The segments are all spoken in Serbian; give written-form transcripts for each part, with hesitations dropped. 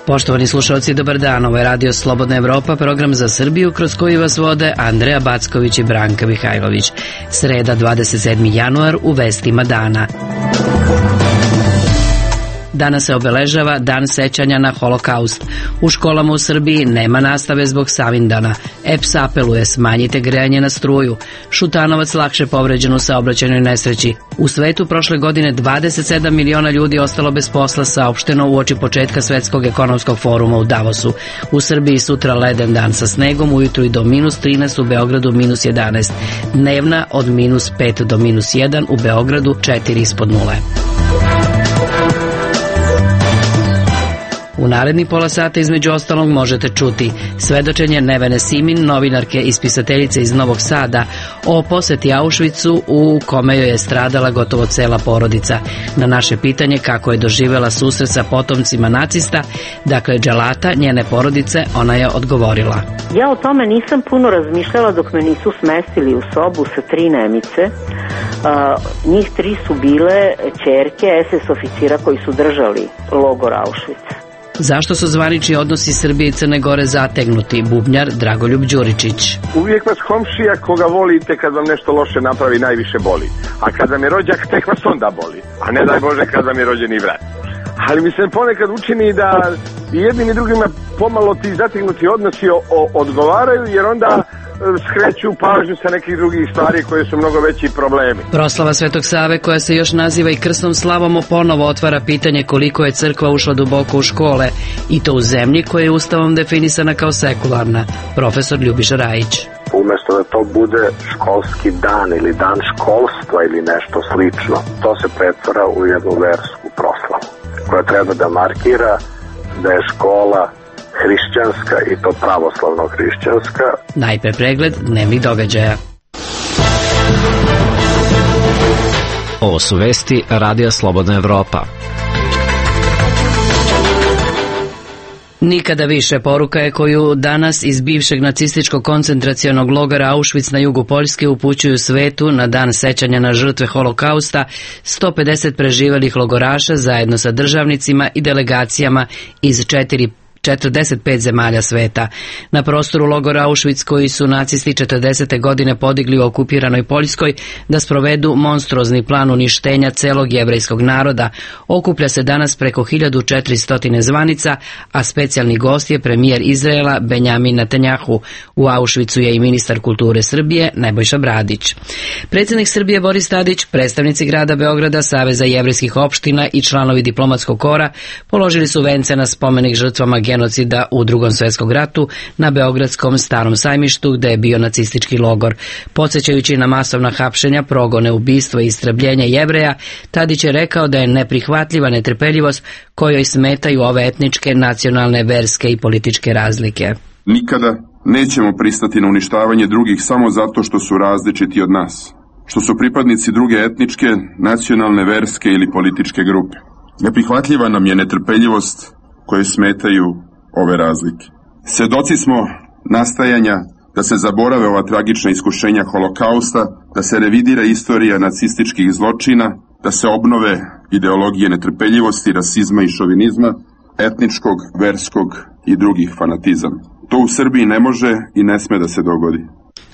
Poštovani slušalci, dobar dan. Ovo je Radio Slobodna Evropa, program za Srbiju kroz koji vas vode Andreja Backović i Branka Mihajlović. Sreda, 27. januar, u vestima dana. Danas se obeležava Dan sećanja na Holokaust. U školama u Srbiji nema nastave zbog Savindana. EPS apeluje smanjite grejanje na struju. Šutanovac lakše povređen u saobraćajnoj nesreći. U svetu prošle godine 27 miliona ljudi ostalo bez posla, saopšteno uoči početka Svetskog ekonomskog foruma u Davosu. U Srbiji sutra leden dan sa snegom, ujutru i do -13, u Beogradu -11. Dnevna od -5 do -1, u Beogradu 4 ispod nule. U naredni pola sata između ostalog možete čuti svedočenje Nevene Simin, novinarke i spisateljice iz Novog Sada, o poseti Auschwitzu u kome joj je stradala gotovo cela porodica. Na naše pitanje kako je doživela susret sa potomcima nacista, dakle dželata njene porodice, ona je odgovorila. Ja o tome nisam puno razmišljala dok me nisu smestili u sobu sa 3 Nemice. Njih 3 su bile ćerke SS oficira koji su držali logor Auschwitz. Zašto su zvanični odnosi Srbije i Crne Gore zategnuti? Bubnjar Dragoljub Đuričić. Uvijek vas komšija koga volite kad vam nešto loše napravi najviše boli. A kad vam je rođak tek vas onda boli. A ne daj Bože kad vam je rođeni brat. Ali mi se ponekad učini da i jednim i drugima pomalo ti zategnuti odnosi odgovaraju, jer onda skreću pažnju sa nekih drugih stvari koje su mnogo veći problemi. Proslava Svetog Save, koja se još naziva i krsnom slavom, ponovo otvara pitanje koliko je crkva ušla duboko u škole, i to u zemlji koja je ustavom definisana kao sekularna. Profesor Ljubiša Rajić. Umesto da to bude školski dan ili dan školstva ili nešto slično, to se pretvara u jednu versku proslavu koja treba da markira da je škola hrišćanska, i to pravoslavno hrišćanska. Najpre pregled dnevnih događaja. Ovo su vesti Radija Slobodna Evropa. Nikada više, poruka je koju danas iz bivšeg nacističkog koncentracionog logora Auschwitz na jugu Poljske upućuju svetu na dan sećanja na žrtve Holokausta 150 preživelih logoraša zajedno sa državnicima i delegacijama iz 45 zemalja sveta. Na prostoru logora Auschwitz, koji su nacisti 40. godine podigli u okupiranoj Poljskoj da sprovedu monstruozni plan uništenja celog jevrejskog naroda, okuplja se danas preko 1400 zvanica, a specijalni gost je premijer Izraela Benjamin Netanjahu. U Auschwitzu je i ministar kulture Srbije Nebojša Bradić. Predsjednik Srbije Boris Tadić, predstavnici grada Beograda, Saveza jevrejskih opština i članovi diplomatskog kora položili su vence na spomenik žrtvama genocida u Drugom svjetskom ratu na Beogradskom Starom sajmištu, gde je bio nacistički logor. Podsjećajući na masovna hapšenja, progone, ubistva i istrebljenje Jevreja, Tadić je rekao da je neprihvatljiva netrpeljivost kojoj smetaju ove etničke, nacionalne, verske i političke razlike. Nikada nećemo pristati na uništavanje drugih samo zato što su različiti od nas, što su pripadnici druge etničke, nacionalne, verske ili političke grupe. Neprihvatljiva nam je netrpeljivost koje smetaju ove razlike. Svedoci smo nastajanja da se zaborave ova tragična iskušenja Holokausta, da se revidira istorija nacističkih zločina, da se obnove ideologije netrpeljivosti, rasizma i šovinizma, etničkog, verskog i drugih fanatizama. To u Srbiji ne može i ne sme da se dogodi.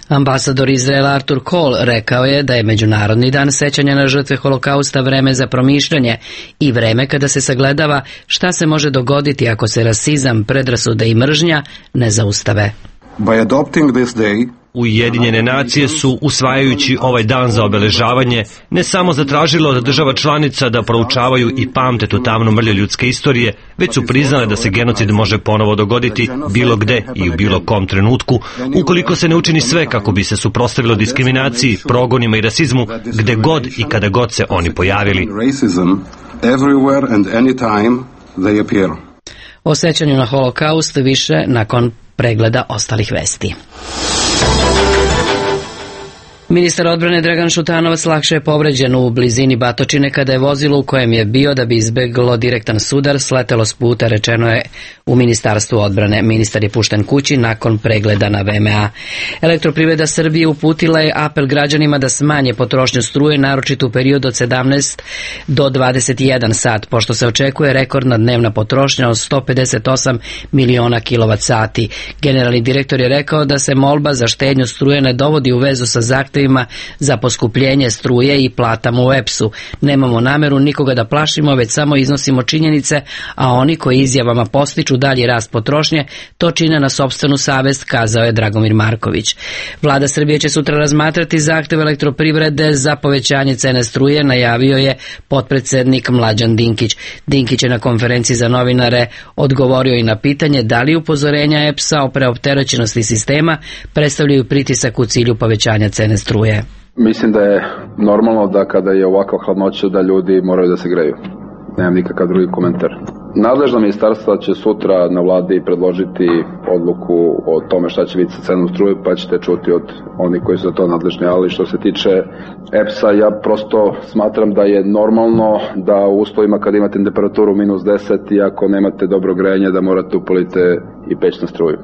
Ambasador Izraela Artur Kohl rekao je da je Međunarodni dan sećanja na žrtve Holokausta vreme za promišljanje i vreme kada se sagledava šta se može dogoditi ako se rasizam, predrasude i mržnja ne zaustave. By adopting this day, Ujedinjene nacije su, usvajajući ovaj dan za obeležavanje, ne samo zatražile od država članica da proučavaju i pamte tu tamnu mrlju ljudske istorije, već su priznale da se genocid može ponovo dogoditi bilo gde i u bilo kom trenutku, ukoliko se ne učini sve kako bi se suprotstavilo diskriminaciji, progonima i rasizmu, gde god i kada god se oni pojavili. O sećanju na Holokaust više nakon pregleda ostalih vesti. Ministar odbrane Dragan Šutanovac lakše je povređen u blizini Batočine kada je vozilo u kojem je bio da bi izbeglo direktan sudar sletelo s puta, rečeno je u Ministarstvu odbrane. Ministar je pušten kući nakon pregleda na VMA. Elektroprivreda Srbije uputila je apel građanima da smanje potrošnju struje, naročito u periodu od 17 do 21 sat, pošto se očekuje rekordna dnevna potrošnja od 158 miliona kWh. Generalni direktor je rekao da se molba za štednju struje ne dovodi u vezu sa zahtevima za poskupljenje struje i platama u EPS-u. Nemamo nameru nikoga da plašimo, već samo iznosimo činjenice, a oni koji izjavama postiču dalji rast potrošnje, to čine na sopstvenu savest, kazao je Dragomir Marković. Vlada Srbije će sutra razmatrati zahtev elektroprivrede za povećanje cene struje, najavio je potpredsednik Mlađan Dinkić. Dinkić je na konferenciji za novinare odgovorio i na pitanje da li upozorenja EPS-a o preopterećenosti sistema predstavljaju pritisak u cilju povećanja cene struje. Mislim da je normalno da kada je ovakva hladnoća da ljudi moraju da se greju. Nemam nikakav drugi komentar. Nadležna ministarstva će sutra na vladi predložiti odluku o tome šta će biti sa cenom struje, pa ćete čuti od onih koji su za to nadležni. Ali što se tiče EPS-a, ja prosto smatram da je normalno da u uslovima kad imate temperaturu -10 i ako nemate dobro grejanje da morate upalite i peć na struju.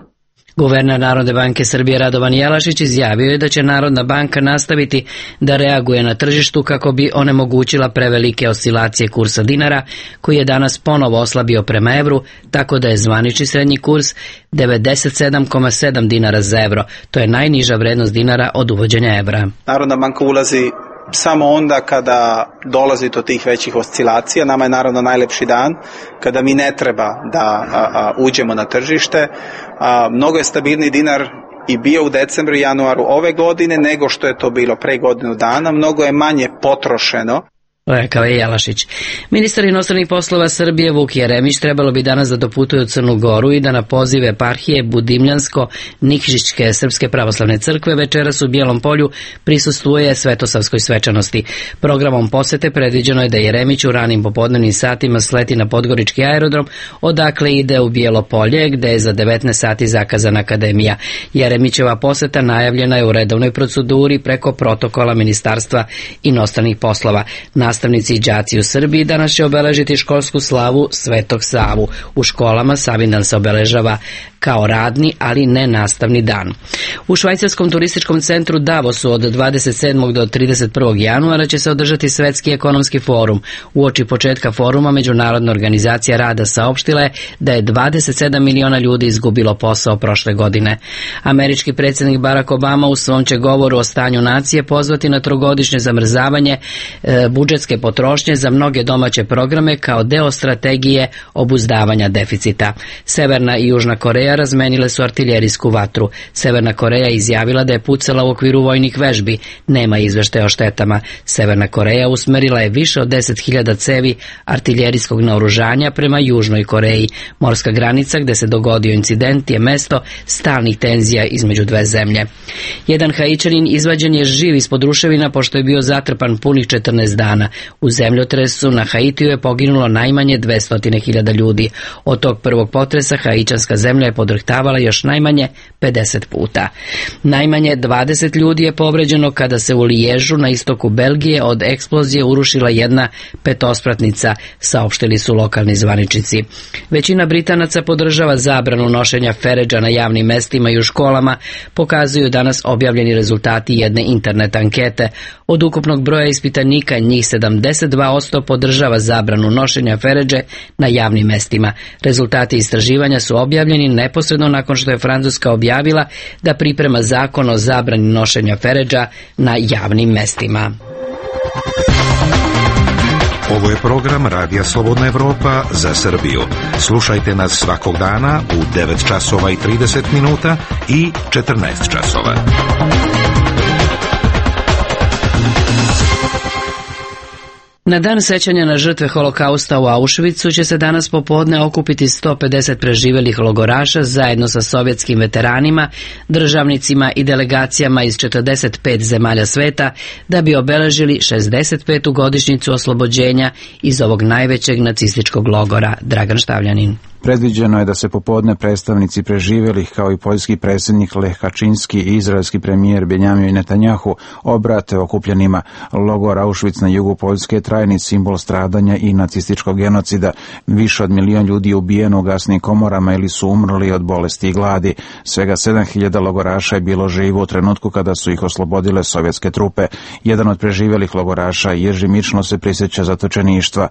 Guverner Narodne banke Srbije Radovan Jelašić izjavio je da će Narodna banka nastaviti da reaguje na tržištu kako bi onemogućila prevelike oscilacije kursa dinara, koji je danas ponovo oslabio prema evru, tako da je zvanični srednji kurs 97,7 dinara za evro. To je najniža vrednost dinara od uvođenja evra. Narodna banka ulazi samo onda kada dolazi do tih većih oscilacija. Nama je naravno najlepši dan kada mi ne treba da uđemo na tržište. Mnogo je stabilni dinar i bio u decembru i januaru ove godine nego što je to bilo pre godinu dana. Mnogo je manje potrošeno. Rekao je Jelašić. Ministar inostranih poslova Srbije Vuk Jeremić trebalo bi danas da doputuje u Crnu Goru i da na poziv eparhije Budimljansko-Nikšićke Srpske pravoslavne crkve večeras u Bijelom Polju prisustvuje svetosavskoj svečanosti. Programom posete predviđeno je da Jeremić u ranim popodnevnim satima sleti na Podgorički aerodrom, odakle ide u Bijelo Polje, gde je za 19 sati zakazana akademija. Jeremićeva poseta najavljena je u redovnoj proceduri preko protokola Ministarstva inostranih poslova. Nastavnici i đaci u Srbiji danas će obeležiti školsku slavu Svetog Savu. U školama Savindan se obeležava kao radni, ali ne nastavni dan. U švajcarskom turističkom centru Davosu od 27. do 31. januara će se održati Svetski ekonomski forum. Uoči početka foruma Međunarodna organizacija rada saopštila je da je 27 miliona ljudi izgubilo posao prošle godine. Američki predsjednik Barack Obama u svom će govoru o stanju nacije pozvati na trogodišnje zamrzavanje budžetske potrošnje za mnoge domaće programe kao deo strategije obuzdavanja deficita. Severna i Južna Koreja razmenile su artiljerijsku vatru. Severna Koreja izjavila da je pucala u okviru vojnih vežbi. Nema izveštaja o štetama. Severna Koreja usmerila je više od 10.000 cevi artiljerijskog naoružanja prema Južnoj Koreji. Morska granica gde se dogodio incident je mesto stalnih tenzija između dve zemlje. Jedan Haićanin izvađen je živ ispod ruševina pošto je bio zatrpan punih 14 dana. U zemljotresu na Haitiju je poginulo najmanje 200.000 ljudi. Od tog prvog potresa Haićanska zemlja je podrhtavala još najmanje 50 puta. Najmanje 20 ljudi je povređeno kada se u Liježu na istoku Belgije od eksplozije urušila jedna petospratnica, saopštili su lokalni zvaničnici. Većina Britanaca podržava zabranu nošenja feredža na javnim mestima i u školama, pokazuju danas objavljeni rezultati jedne internet ankete. Od ukupnog broja ispitanika njih 72% podržava zabranu nošenja feredže na javnim mestima. Rezultati istraživanja su objavljeni neposredno nakon što je Francuska objavila da priprema zakon o zabrani nošenja feredža na javnim mestima. Ovo je program Radija Slobodna Evropa za Srbiju. Slušajte nas svakog dana u 9 časova i 30 minuta i 14 časova. Na dan sećanja na žrtve holokausta u Auschwitzu će se danas popodne okupiti 150 preživelih logoraša zajedno sa sovjetskim veteranima, državnicima i delegacijama iz 45 zemalja sveta da bi obeležili 65. godišnjicu oslobođenja iz ovog najvećeg nacističkog logora. Dragan Štavljanin. Predviđeno je da se popodne predstavnici preživelih kao i poljski predsjednik Lech Kačinski i izraelski premijer Benjamin Netanjahu obrate okupljenima. Logor Auschwitz na jugu Poljske je trajni simbol stradanja i nacističkog genocida. Više od 1 milion ljudi je ubijeno u gasnim komorama ili su umrli od bolesti i gladi. Svega 7.000 logoraša je bilo živo u trenutku kada su ih oslobodile sovjetske trupe. Jedan od preživelih logoraša, Jerzy Mično, se prisjeća zatočeništva.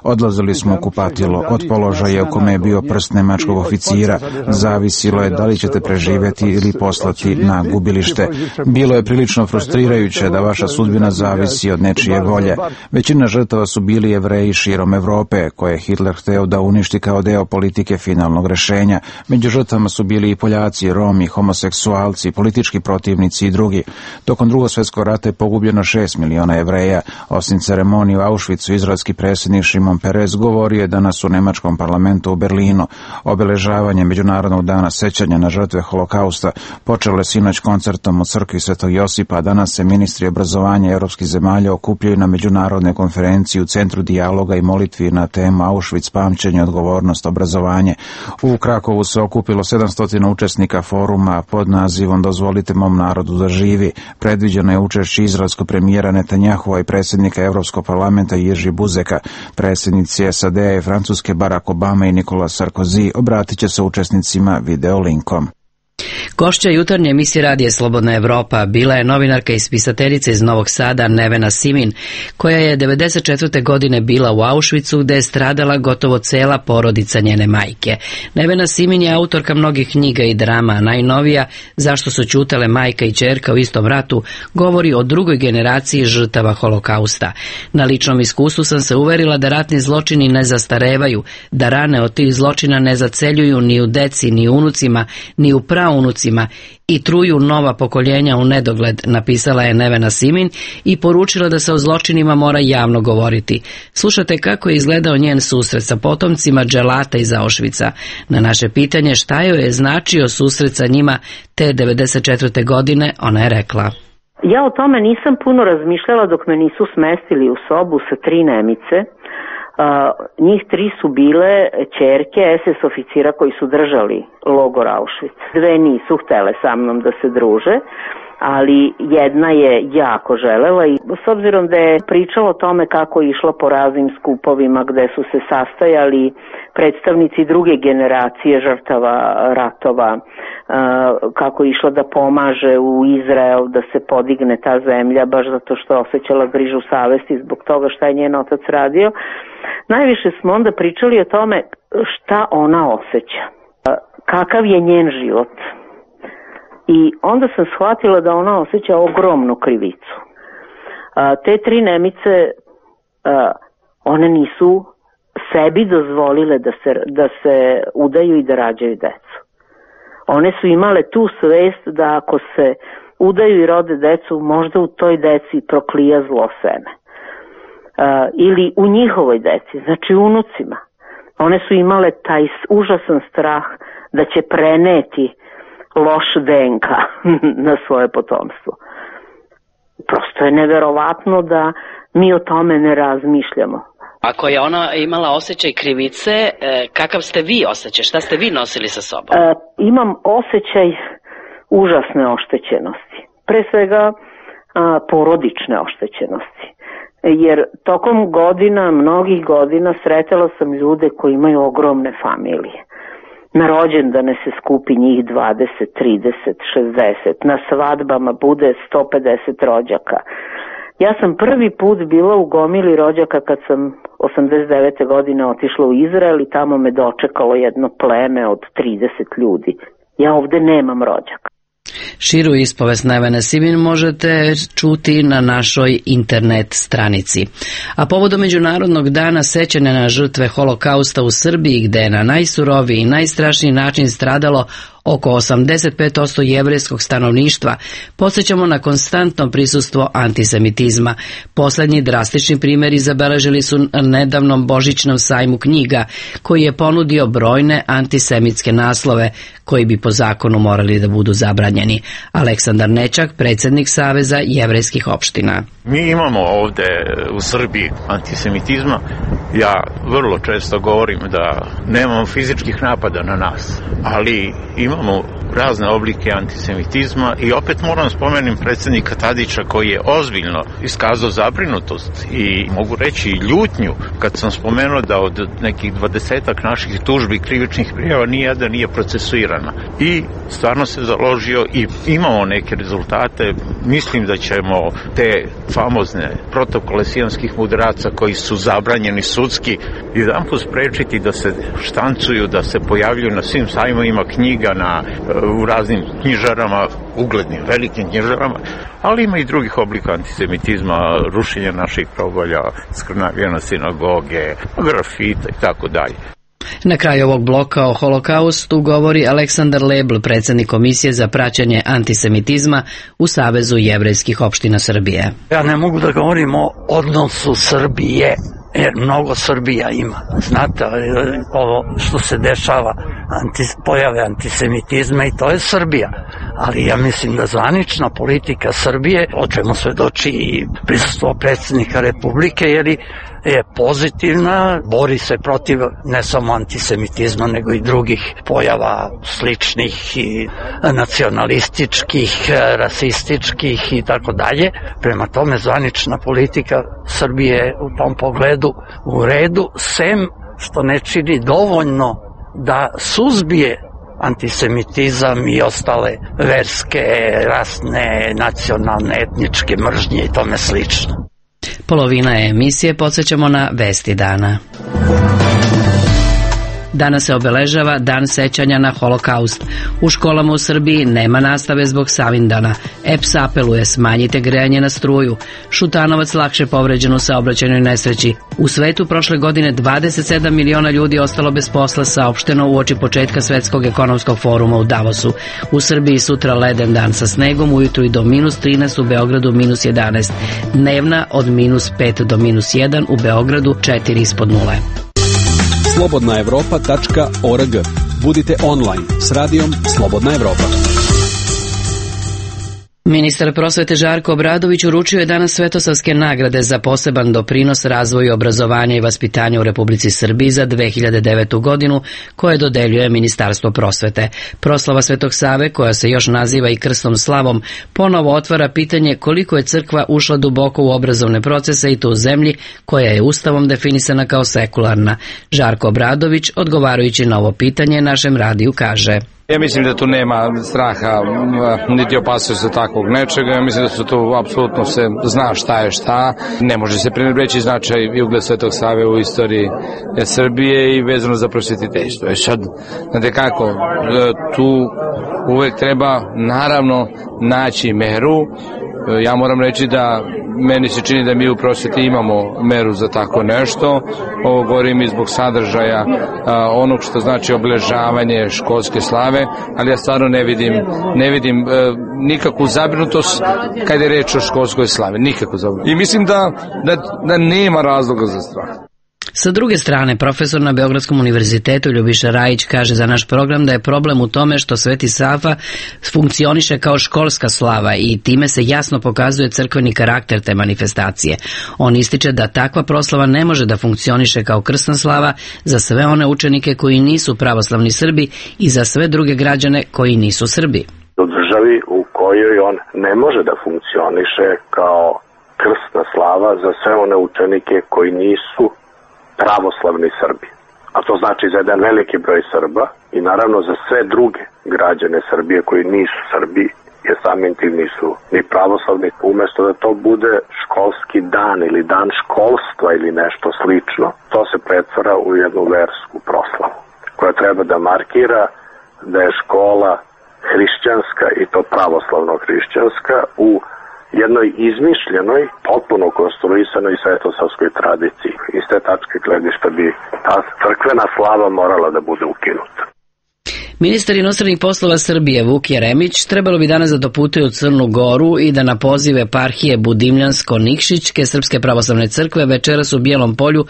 Odlazili smo u kupatilo. Od položaja u kome je bio prst nemačkog oficira zavisilo je da li ćete preživjeti ili poslati na gubilište. Bilo je prilično frustrirajuće da vaša sudbina zavisi od nečije volje. Većina žrtava su bili Jevreji širom Evrope, koje je Hitler hteo da uništi kao deo politike finalnog rešenja. Među žrtvama su bili i Poljaci, Romi, homoseksualci, politički protivnici i drugi. Tokom Drugog svjetskog rata je pogubljeno 6 miliona Jevreja. Osim ceremonije u Auschwitzu, izraelski predsjednik Šimon Peres govorio je danas u nemačkom parlamentu u Berlinu. Obeležavanje Međunarodnog dana sećanja na žrtve holokausta počelo je sinoć koncertom u crkvi Svetog Josipa, a danas se ministri obrazovanja evropskih zemalja okupljaju na međunarodnoj konferenciji u Centru dijaloga i molitvi na temu Auschwitz, pamćenje, odgovornost, obrazovanje. U Krakovu se okupilo 700 učesnika foruma pod nazivom Dozvolite mom narodu da živi. Predviđeno je učešće izraelskog premijera Netanjahua i predsjednika Evropskog parlamenta Jerzy Buzeka. Predsjednici SAD-a i Francuske Barack Obama i Nicolas Sarkozy obratit će se učesnicima video linkom. Gošća jutarnje emisije Radija Slobodna Evropa bila je novinarka i spisateljica iz Novog Sada Nevena Simin, koja je 1994. godine bila u Auschwitzu, gde je stradala gotovo cela porodica njene majke. Nevena Simin je autorka mnogih knjiga i drama, a najnovija Zašto su ćutale majka i ćerka u istom ratu govori o drugoj generaciji žrtava holokausta. Na ličnom iskustvu sam se uverila da ratni zločini ne zastarevaju, da rane od tih zločina ne zaceljuju ni u deci, ni u unucima, ni u praunucima i truju nova pokoljenja u nedogled, napisala je Nevena Simin i poručila da se o zločinima mora javno govoriti. Slušate kako je izgledao njen susret sa potomcima dželata iz Auschwitza. Na naše pitanje šta joj je značio susret sa njima te 1994. godine, ona je rekla: Ja o tome nisam puno razmišljala dok me nisu smestili u sobu sa 3 Nemice. Njih 3 su bile ćerke SS oficira koji su držali logor Auschwitz. 2 nisu htele sa mnom da se druže, ali jedna je jako želela i s obzirom da je pričala o tome kako je išla po raznim skupovima gde su se sastajali predstavnici druge generacije žrtava ratova, kako je išla da pomaže u Izrael da se podigne ta zemlja baš zato što je osjećala grižu savesti zbog toga šta je njen otac radio. Najviše smo onda pričali o tome šta ona osjeća, kakav je njen život. I onda sam shvatila da ona osjeća ogromnu krivicu. Te 3 Nemice, one nisu sebi dozvolile da se udaju i da rađaju decu. One su imale tu svest da ako se udaju i rode decu, možda u toj deci proklija zlo seme. Ili u njihovoj deci, znači unucima. One su imale taj užasan strah da će preneti loš DNK na svoje potomstvo. Prosto je neverovatno da mi o tome ne razmišljamo. Ako je ona imala osjećaj krivice, kakav ste vi osjećaj? Šta ste vi nosili sa sobom? Imam osjećaj užasne oštećenosti. Pre svega porodične oštećenosti. Jer tokom godina, mnogih godina, sretala sam ljude koji imaju ogromne familije. Na rođendane se skupi njih 20, 30, 60. Na svadbama bude 150 rođaka. Ja sam prvi put bila u gomili rođaka kad sam 89. godine otišla u Izrael i tamo me dočekalo jedno pleme od 30 ljudi. Ja ovde nemam rođaka. Širu ispovest Nevene Simin možete čuti na našoj internet stranici. A povodom Međunarodnog dana sećanja na žrtve holokausta u Srbiji, gde je na najsuroviji i najstrašniji način stradalo oko 85% jevrejskog stanovništva, podsjećamo na konstantno prisustvo antisemitizma. Poslednji drastični primjeri zabeležili su na nedavnom božićnom sajmu knjiga, koji je ponudio brojne antisemitske naslove, koji bi po zakonu morali da budu zabranjeni. Aleksandar Nečak, predsjednik Saveza jevrejskih opština. Mi imamo ovde u Srbiji antisemitizma. Ja vrlo često govorim da nemamo fizičkih napada na nas, ali imamo razne oblike antisemitizma i opet moram spomenuti predsjednika Tadića koji je ozbiljno iskazao zabrinutost i mogu reći i ljutnju kad sam spomenuo da od nekih 20-ak naših tužbi i krivičnih prijava nijedna nije procesuirana. I stvarno se založio i imamo neke rezultate. Mislim da ćemo te famozne protokole sionskih mudraca koji su zabranjeni sudski jedanput sprečiti da se štancuju, da se pojavljuju na svim sajmovima knjiga, u raznim knjižarama, uglednim, velikim knjižarama, ali ima i drugih oblika antisemitizma, rušenja naših probolja, skrnavljena sinagoge, grafita i tako dalje. Na kraju ovog bloka o holokaustu govori Aleksandar Lebl, predsjednik Komisije za praćenje antisemitizma u Savezu jevrejskih opština Srbije. Ja ne mogu da govorim o odnosu Srbije, jer mnogo Srbija ima. Znate, ovo što se dešava, pojave antisemitizma, i to je Srbija. Ali ja mislim da zvanična politika Srbije, o čemu svedoči i prisustvo predsjednika Republike, jer je pozitivna, bori se protiv ne samo antisemitizma, nego i drugih pojava sličnih i nacionalističkih, rasističkih i tako dalje. Prema tome, zvanična politika Srbije je u tom pogledu u redu, sem što ne čini dovoljno da suzbije antisemitizam i ostale verske, rasne, nacionalne, etničke mržnje i tome slično. Polovina emisije podsjećamo na vesti dana. Danas se obeležava Dan sećanja na holokaust. U školama u Srbiji nema nastave zbog Savindana. EPS apeluje smanjite grejanje na struju. Šutanovac lakše povređen u saobraćajnoj nesreći. U svetu prošle godine 27 miliona ljudi ostalo bez posla, saopšteno uoči početka Svetskog ekonomskog foruma u Davosu. U Srbiji sutra leden dan sa snegom, ujutru i do -13, u Beogradu -11. Dnevna od -5 do -1, u Beogradu 4 ispod nule. slobodnaevropa.org. Budite online s radijom Slobodna Evropa. Ministar prosvete Žarko Obradović uručio je danas Svetosavske nagrade za poseban doprinos razvoju obrazovanja i vaspitanja u Republici Srbiji za 2009. godinu, koje dodeljuje Ministarstvo prosvete. Proslava Svetog Save, koja se još naziva i Krstom slavom, ponovo otvara pitanje koliko je crkva ušla duboko u obrazovne procese i to u zemlji koja je ustavom definisana kao sekularna. Žarko Obradović, odgovarajući na ovo pitanje, našem radiju kaže: Ja mislim da tu nema straha niti opasnosti takvog nečega. Ja mislim da se tu apsolutno se zna šta je šta. Ne može se prenebreći značaj i ugled Svetog Save u istoriji Srbije i vezano za prosvetiteljstvo. Sad, znate kako, tu uvek treba naravno naći meru. Ja moram reći da meni se čini da mi u prosveti imamo meru za tako nešto. Ovo govorim i zbog sadržaja onog što znači obeležavanje školske slave, ali ja stvarno ne vidim nikakvu zabrinutost kad je reč o školskoj slavi. Nikakvu zabrinutost. I mislim da nema razloga za strah. Sa druge strane, profesor na Beogradskom univerzitetu Ljubiša Rajić kaže za naš program da je problem u tome što Sveti Sava funkcioniše kao školska slava i time se jasno pokazuje crkveni karakter te manifestacije. On ističe da takva proslava ne može da funkcioniše kao krsna slava za sve one učenike koji nisu pravoslavni Srbi i za sve druge građane koji nisu Srbi. U državi u kojoj on ne može da funkcioniše kao krsna slava za sve one učenike koji nisu pravoslavni Srbi, a to znači za jedan veliki broj Srba i naravno za sve druge građane Srbije koji nisu Srbi, jer samim tim nisu ni pravoslavni. Umesto da to bude školski dan ili dan školstva ili nešto slično, to se pretvara u jednu versku proslavu koja treba da markira da je škola hrišćanska i to pravoslavno hrišćanska u jednoj izmišljenoj, potpuno konstruisanoj svetosavskoj tradiciji. Iz te tačke gledišta bi ta crkvena slava morala da bude ukinuta. Ministar inostranih poslova Srbije Vuk Jeremić trebalo bi danas da doputuje u Crnu Goru i da na poziv eparhije Budimljansko-Nikšićke Srpske pravoslavne crkve večeras u Bijelom Polju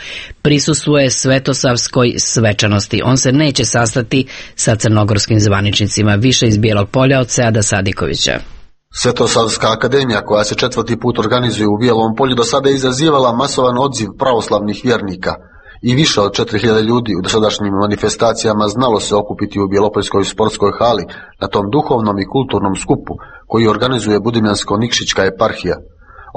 prisustvuje svetosavskoj svečanosti. On se neće sastati sa crnogorskim zvaničnicima. Više iz Bijelog Polja od Seada Sadikovića. Svetosavska akademija, koja se 4. put organizuje u Bijelom Polju, do sada je izazivala masovan odziv pravoslavnih vjernika. I više od 4000 ljudi u dosadašnjim manifestacijama znalo se okupiti u Bjelopoljskoj sportskoj hali na tom duhovnom i kulturnom skupu koji organizuje Budimljansko-Nikšićka eparhija.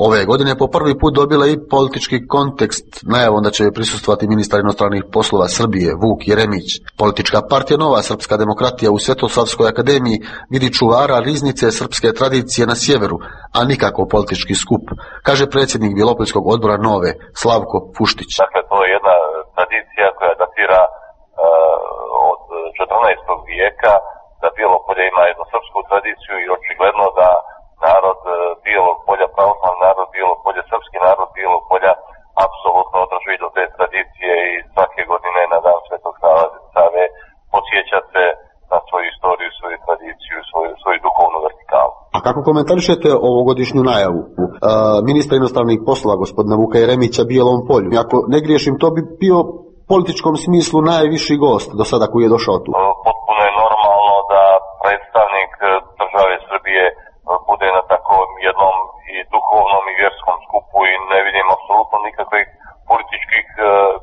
Ove godine po prvi put dobila i politički kontekst najavom da će joj prisustvovati ministar inostranih poslova Srbije Vuk Jeremić. Politička partija Nova srpska demokratija u Svetosavskoj akademiji vidi čuvara riznice srpske tradicije na sjeveru, a nikako politički skup, kaže predsjednik Bjelopoljskog odbora Nove Slavko Fuštić. Dakle, to je jedna tradicija koja datira od 14. vijeka, da Bjelopolje ima jednu srpsku tradiciju i očigledno da narod Bijelog Polja, pravoslavni narod Bijelog Polja, srpski narod Bijelog Polja apsolutno drži do te tradicije i svake godine na dan Svetog Save podsjeća se na svoju istoriju, svoju tradiciju, svoju duhovnu vertikalu. A kako komentarišete ovogodišnju najavu ministra inostranih poslova gospodina Vuka Jeremića Bijelom Polju? Ako ne griješim, to bi bio u političkom smislu najviši gost do sada koji je došao tu. Potpuno je normalno da predstavnik države Srbije bude na takvom jednom i duhovnom i vjerskom skupu i ne vidim apsolutno nikakvih političkih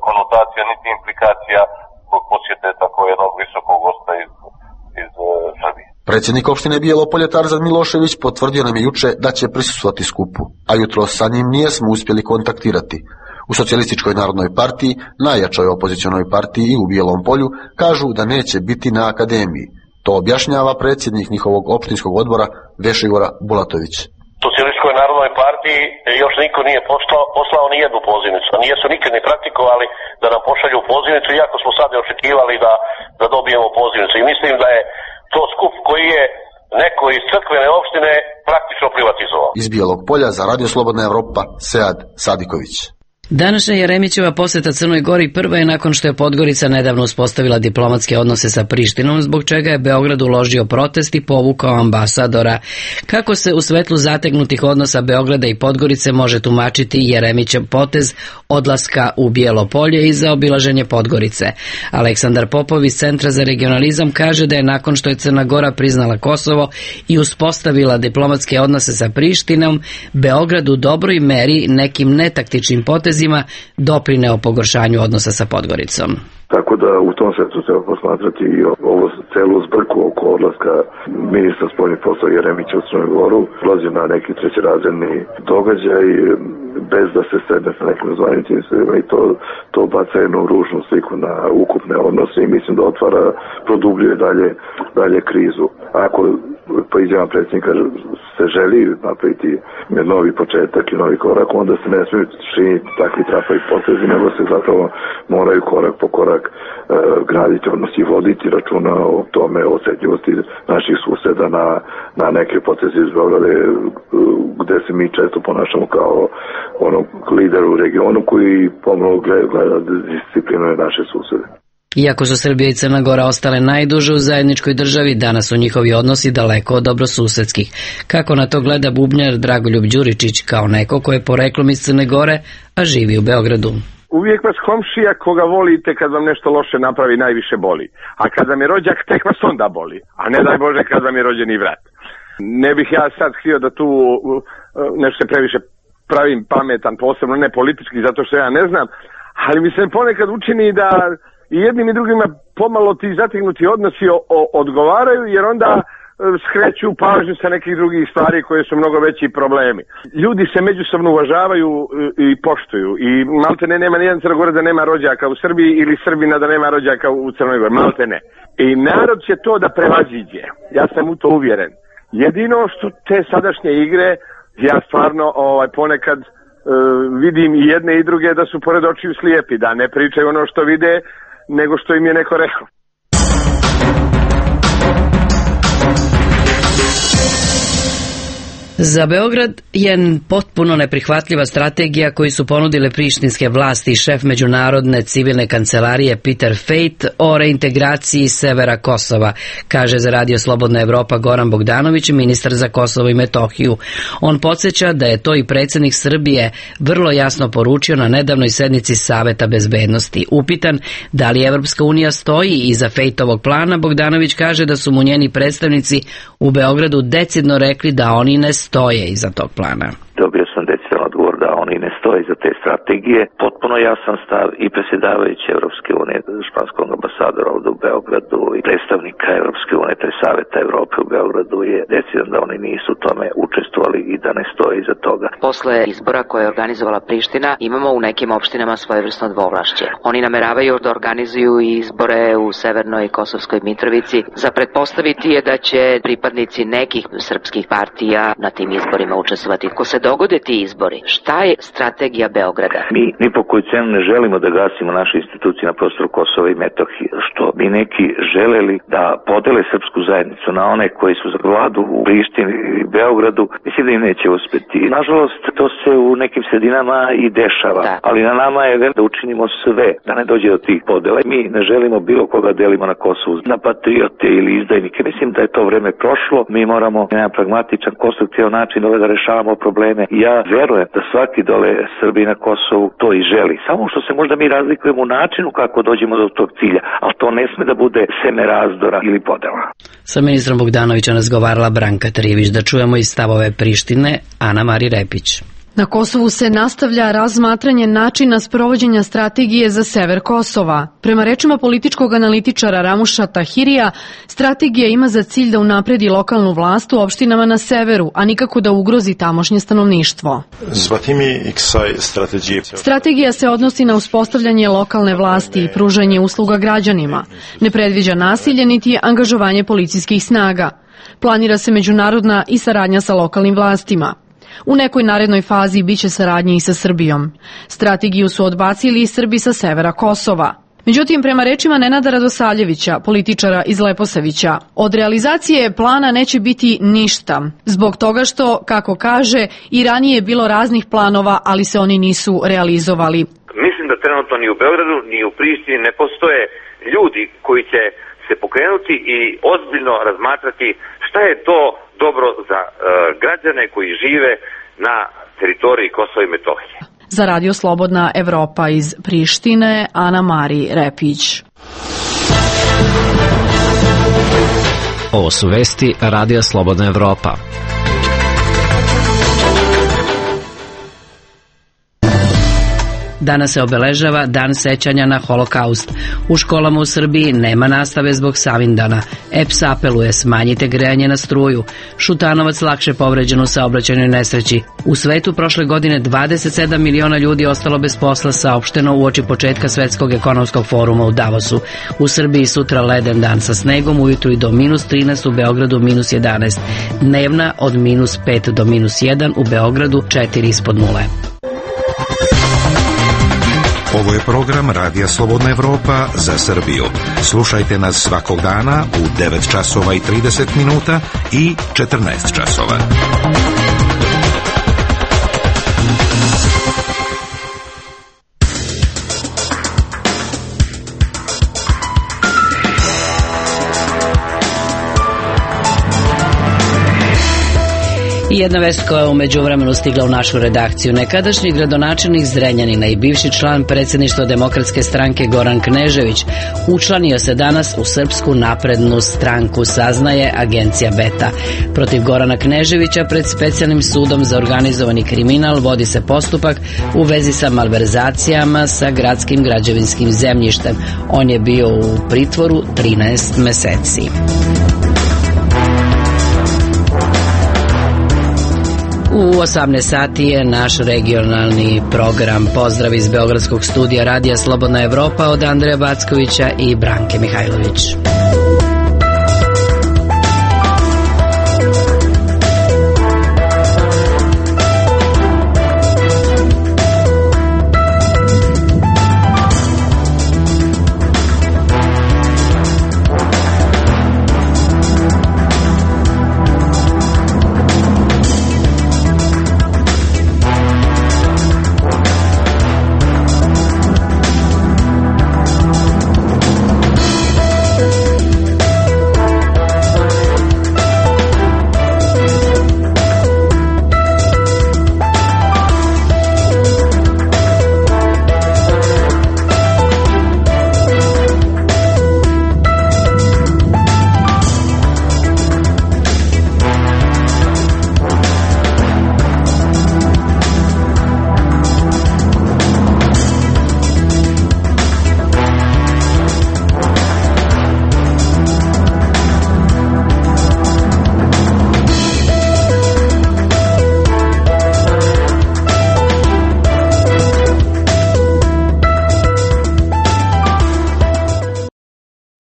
konotacija niti implikacija zbog posjete tako jednog visokog gosta iz Srbije. Predsjednik opštine Bijelo Polje Tarzan Milošević potvrdio nam je juče da će prisustvovati skupu, a jutro sa njim nijesmo uspjeli kontaktirati. U Socijalističkoj narodnoj partiji, najjačoj opozicionoj partiji i u Bijelom Polju, kažu da neće biti na akademiji. To objašnjava predsjednik njihovog opštinskog odbora Vešigora Bulatović. Socijalističkoj narodnoj partiji još niko nije poslao ni jednu pozivnicu. Nijesu nikad ni praktikovali da nam pošalju pozivnicu, iako smo sad očekivali da dobijemo pozivnicu. I mislim da je to skup koji je neko iz crkvene opštine praktično privatizovao. Iz Bijelog Polja za Radio Slobodna Evropa, Sead Sadiković. Današnja Jeremićeva posjeta Crnoj Gori prva je nakon što je Podgorica nedavno uspostavila diplomatske odnose sa Prištinom, zbog čega je Beograd uložio protest i povukao ambasadora. Kako se u svetlu zategnutih odnosa Beograda i Podgorice može tumačiti Jeremićev potez odlaska u Bijelo Polje i za obilaženje Podgorice? Aleksandar Popov iz Centra za regionalizam kaže da je nakon što je Crna Gora priznala Kosovo i uspostavila diplomatske odnose sa Prištinom, Beograd u dobroj meri nekim netaktičnim potezima doprineo pogoršanju odnosa sa Podgoricom. Tako da u tom svetu treba posmatrati i ovo celu zbrku oko odlaska ministra spoljnih poslova Jeremića u Crnu Goru. Ulazi na neki trećerazredni događaj bez da se sedne sa nekim zvaničnicima i to baca jednu ružnu sliku na ukupne odnose i mislim da produbljuje dalje krizu. Ako po izjavama predsjednika se želi napraviti novi početak i novi korak, onda se ne smiju činiti takvi trapavi potezi, nego se zapravo moraju korak po korak graditi, odnosno i voditi računa o tome, o osjetljivosti naših suseda na neke poteze iz Beograda, gde se mi često ponašamo kao lider u regionu koji pomalo gleda disciplinuje naše susede. Iako su Srbija i Crna Gora ostale najduže u zajedničkoj državi, danas su njihovi odnosi daleko od dobrosusedskih. Kako na to gleda bubnjar Dragoljub Đuričić kao neko ko je poreklom iz Crne Gore, a živi u Beogradu? Uvijek vas komšija koga volite kad vam nešto loše napravi najviše boli. A kad vam je rođak, tek vas onda boli. A ne daj Bože kad vam je rođeni brat. Ne bih ja sad htio da tu nešto se previše pravim pametan, posebno ne politički, zato što ja ne znam, ali mi se ponekad učini da i jednim i drugima pomalo ti zategnuti odnosi odgovaraju, jer onda skreću pažnju sa nekih drugih stvari koje su mnogo veći problemi. Ljudi se međusobno uvažavaju i poštuju i maltene nema nijedan Crnogora da nema rođaka u Srbiji ili Srbina da nema rođaka u Crnoj Gori, maltene. I narod će to da prevaziđe, ja sam u to uvjeren. Jedino što te sadašnje igre, ja stvarno ponekad vidim i jedne i druge da su pored očiju slijepi, da ne pričaju ono što vide, nego što im je neko rekao. Za Beograd je potpuno neprihvatljiva strategija koju su ponudile prištinske vlasti i šef međunarodne civilne kancelarije Peter Fejt o reintegraciji severa Kosova, kaže za Radio Slobodna Evropa Goran Bogdanović, ministar za Kosovo i Metohiju. On podsjeća da je to i predsjednik Srbije vrlo jasno poručio na nedavnoj sednici Saveta bezbednosti. Upitan da li Evropska unija stoji iza Fejtovog plana, Bogdanović kaže da su mu njeni predstavnici u Beogradu decidno rekli da oni ne stoje iza tog plana. Dobio sam decidan odgovor da oni ne stoje iza te strategije. Potpuno jasan stav i predsjedavajuće Evropske unije, španskog ambasadora ovdje u Beogradu i predstavnika Evropske unije, te Saveta Evrope u Beogradu je decidan da oni nisu u tome učestvovali i da ne stoje iza toga. Posle izbora koje je organizovala Priština imamo u nekim opštinama svojevrsno dvovlašće. Oni nameravaju da organizuju izbore u Severnoj Kosovskoj Mitrovici. Za pretpostaviti je da će pripadnici nekih srpskih partija na tim izborima učestvovati. Ko se dogode ti izbori, šta je strategija Beograda? Mi ni po koju cenu ne želimo da gasimo naše institucije na prostoru Kosova i Metohije, što bi neki želeli da podele srpsku zajednicu na one koji su za vladu u Prištini i Beogradu, mislim da im neće uspeti. Nažalost, to se u nekim sredinama i dešava, ali na nama je da učinimo sve da ne dođe do tih podela. Mi ne želimo bilo koga delimo na Kosovu na patriote ili izdajnike. Mislim da je to vreme prošlo. Mi moramo na jedan pragmatičan, konstruktivan način da rešavamo probleme. Ja verujem da svaki dole Srbi na Kosovu to i želi. Samo što se možda mi razlikujemo u načinu kako dođemo do tog cilja, ali to ne sme da bude seme razdora ili podela. Sa ministrom Bogdanovićem razgovarala Branka Trivić. Da čujemo i stavove Prištine, Ana Mari Repić. Na Kosovu se nastavlja razmatranje načina sprovođenja strategije za sever Kosova. Prema rečima političkog analitičara Ramuša Tahirija, strategija ima za cilj da unapredi lokalnu vlast u opštinama na severu, a nikako da ugrozi tamošnje stanovništvo. Strategija se odnosi na uspostavljanje lokalne vlasti i pružanje usluga građanima. Ne predviđa nasilje niti angažovanje policijskih snaga. Planira se međunarodna i saradnja sa lokalnim vlastima. U nekoj narednoj fazi biće saradnje i sa Srbijom. Strategiju su odbacili i Srbi sa severa Kosova. Međutim, prema rečima Nenada Radosavljevića, političara iz Leposavića, od realizacije plana neće biti ništa, zbog toga što, kako kaže, i ranije je bilo raznih planova, ali se oni nisu realizovali. Mislim da trenutno ni u Beogradu, ni u Prištini ne postoje ljudi koji će se pokrenuti i ozbiljno razmatrati šta je to dobro za građane koji žive na teritoriji Kosova i Metohije. Za Radio Slobodna Evropa iz Prištine, Ana Mari Repić. Ovo su vesti Radija Slobodna Evropa. Danas se obeležava Dan sećanja na Holokaust. U školama u Srbiji nema nastave zbog Savindana. EPS apeluje smanjite grejanje na struju. Šutanovac lakše povređen u saobraćajnoj nesreći. U svetu prošle godine 27 miliona ljudi ostalo bez posla, saopšteno uoči početka Svetskog ekonomskog foruma u Davosu. U Srbiji sutra leden dan sa snegom, ujutru i do -13, u Beogradu -11. Dnevna od -5 do -1, u Beogradu 4 ispod nule. Ovo je program Radija Slobodna Evropa za Srbiju. Slušajte nas svakog dana u 9 časova i 30 minuta i 14 časova. I jedna vest koja je u međuvremenu stigla u našu redakciju. Nekadašnji gradonačelnik Zrenjanina i bivši član predsjedništva Demokratske stranke Goran Knežević učlanio se danas u Srpsku naprednu stranku, saznaje agencija Beta. Protiv Gorana Kneževića pred specijalnim sudom za organizovani kriminal vodi se postupak u vezi sa malverzacijama sa gradskim građevinskim zemljištem. On je bio u pritvoru 13 meseci. U 18 sati je naš regionalni program. Pozdrav iz Beogradskog studija Radija Slobodna Evropa od Andreja Backovića i Branke Mihajlović.